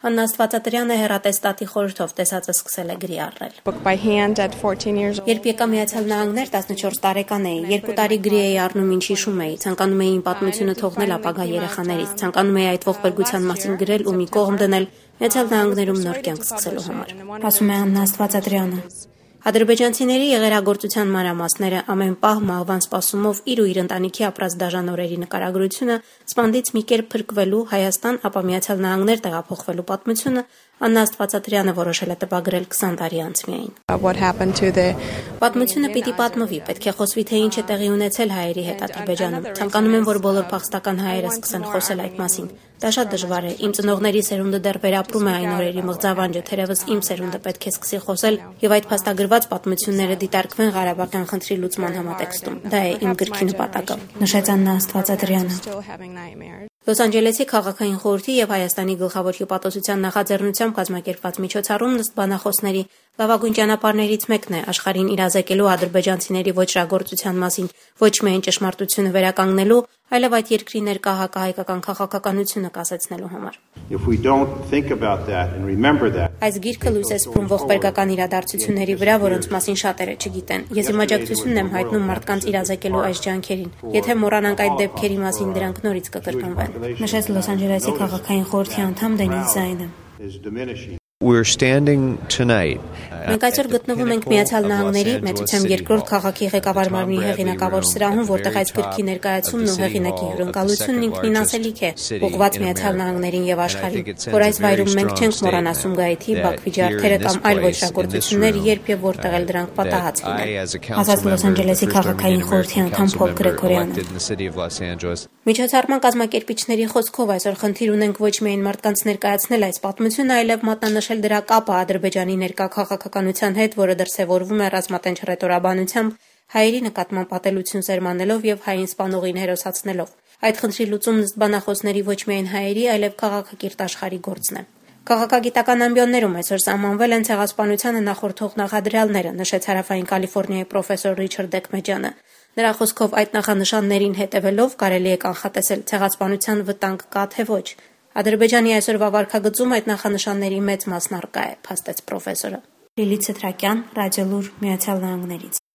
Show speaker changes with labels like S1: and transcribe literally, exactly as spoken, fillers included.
S1: Աննա Աստվածատրյանը հեռատեստատի խորհրդով տեսածը սկսել է գրի առնել։ Երբ եկա Միացյալ Նահանգներ տասնչորս տարեկան էի, երկու տարի գրի էի առնում, ինչ հիշում էի, ցանկանում էի իմ պատմությունը թողնել ապագա երեխաներից, ցանկանում էի այդ ողբերգության մասին գրել ու մի կողմ դնել Միացյալ Նահանգներում նոր կյանք սկսելու համար։ Ասում է Աննա Աստվածատրյանը։ Ադրբեջանցիների եղերագործության մանրամասները ամեն պահ մահվան սպասումով իր ու իր ընտանիքի ապրած դաժան օրերի նկարագրությունը, սպանդից մի կերպ փրկվելու Հայաստան, ապա Միացյալ Նահանգներ տեղափոխվելու պատմությունը Աննա Աստվածատրյանը որոշել է տպագրել քսան տարի անց միայն։ Պատմությունը պիտի պատմվի, պետք է խոսվի, թե ինչ է տեղի ունեցել հայերի հետ Ադրբեջանում։ Ցանկանում եմ, որ բոլոր փախստական հայերը սկսեն խոսել այդ մասին։ Դա շատ դժվար է։ Իմ ծնողների սերունդը դեռ վերապրում է այն օրերի մղձավանջը, թերևս իմ սերունդը պետք է սկսի խոսել եւ այդ փաստագրված պատմությունները դիտարկվեն Ղարաբաղյան խնդրի լուծման համատեքստում։ Դա է իմ գրքի նպատակը, նշեց Աննա Աստվածատրյանը։ Լոս Անջելեսի քաղաքային խորհրդի եւ Հայաստանի գլխավոր հյուպատոսության նախաձեռնությամբ կազմակերպված միջոցառումն ըստ բանախոսների լավագույն ճանապարհներից մեկն է աշխարհին իրազեկելու ադրբեջանցիների ոչրագործության մասին ոչ միայն ճշմարտությունը վերականգնելու, այլև այդ երկրի ներկա հակահայկական քաղաքականությունը կասեցնելու համար։ Այս գիրքը լույս է սփռում ողբերգական իրադարձությունների վրա, որոնց մասին շատերը չգիտեն։ Ես իմ աջակցությունն եմ հայտնում մարդկանց իրազեկելու այս ջանքերին։ Եթե մոռանանք այդ դեպքերի մասին, դրանք նորից կկրկնվեն, նշեց Լոս Անջելեսի քաղաքային խորհրդի անդամ Դենիս Զայնը։
S2: We're standing tonight.
S1: Մենք այսօր գտնվում ենք Միացյալ Նահանգների մեծությամբ երկրորդ քաղաքի ղեկավար մարմնի հեղինակավոր սրահում, որտեղ այս գրքի ներկայացումն ու հեղինակի հյուրընկալությունն ինքնին ասելիք է, ուղղված Միացյալ Նահանգներին եւ աշխարհին, որ այս վայրում մենք չենք մոռանա Սումգայիթի, Բաքվի ջարդերը կամ այլ ոչրագործություններ, երբ եւ որտեղ էլ դրանք պատահած լինեն։ Ասաց Լոս Անջելեսի քաղաքային խորհրդի անդամ Փոլ Գրեգորյանը։ Միջոցառման կազմակերպիչների խոսքով այսօր խնդիր ունենք ոչ միայն մարդկանց ներկայացնել այս պատմությունը, այլև մատնանշել դրա կապը Ադրբեջանի ներկա քաղաքականության հետ, որը դրսևորվում է ռազմատենչ ռետորաբանությամբ, հայերի նկատմամբ ատելություն սերմանելով եւ հային սպանողին հերոսացնելով։ Այդ խնդրի լուծումն ըստ բանախոսների ոչ միայն հայերի, այլև քաղաքակիրթ աշխարհի գործն է։ Քաղաքագիտական ամբիոններում այսօր սահմանվել են ցեղասպանությանը նախորդող նախադրյալները, նշեց Հարավային Կալիֆոռնիայի պրոֆեսոր Ռիչարդ Դեկմեջյանը։ Նրա խոսքով այդ նախանշաններին հետևելով կարելի է կանխատեսել ցեղասպանության վտանգ կա թե ոչ։ Ադրբեջանի այսօրվա վարքագծում այդ նախանշանների մեծ մասն առկա է, փաստեց պրոֆեսորը։ Լիլիթ Սեթրակյան, Ռադիոլուր, Միացյալ Նահանգներից։